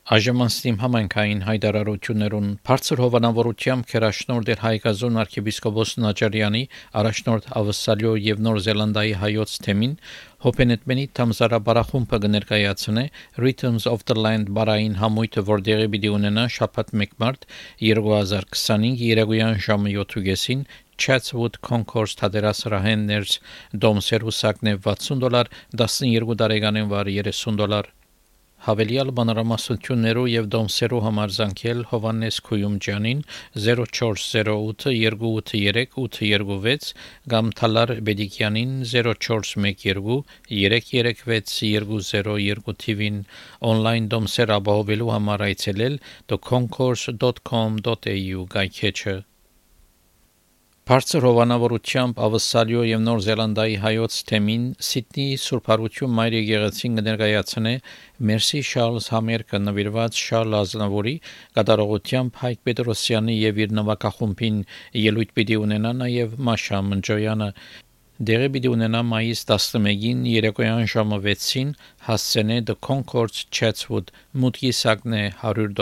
Այժմանստիմ համայնքային հայտարարություններուն բարձր հովանավորությամբ քերաշնորհ դեր Հայկազուն arczepiskopos Նաճարյանի առաջնորդ Ավսալյո եւ Նոր Զելանդիայի հայոց թեմին հոբենետմենի Թամզարաբարախումբը կներկայացնե Rhythms of the Land բարային համույթը, որ դեղի պիտի ունենա շաբաթ 1 մարտ 2025 երեկոյան ժամը 7:30 Chatswood Concourse թատերասրահեն ներս դոմսերուսակն է $60, 12 տարեկանին վար $30 Հավելյալ բանրամասնություններով եւ դոմսերու համար զանգել Հովանես Քույումջյանին 0408 283 826 կամ Թալար Բեդիկյանին 0412 336 202 TV-ին on-line դոմսեր ապահովելու համար այցելել theconcourse.com.au գայքեչը Բարձր հովանավորությամբ Ավսալյո եւ Նոր Զելանդիայի հայոց թեմին Սիդնեի Սուրբ Հարություն Մայր եկեղեցին կներկայացնե Մերսի Շարլզ համերգը նվիրված Շարլ Ազնավուրի կատարողությամբ Հայկ Պետրոսյանի եւ իր նվագախումբին ելույթ պիտի ունենա նաեւ Մաշա Մնջոյանը դեղի պիտի ունենա մայիս 11-ին երեկոյան ժամը 6-ին հասցենե The Concourse Chatswood մուտքի սակն է $100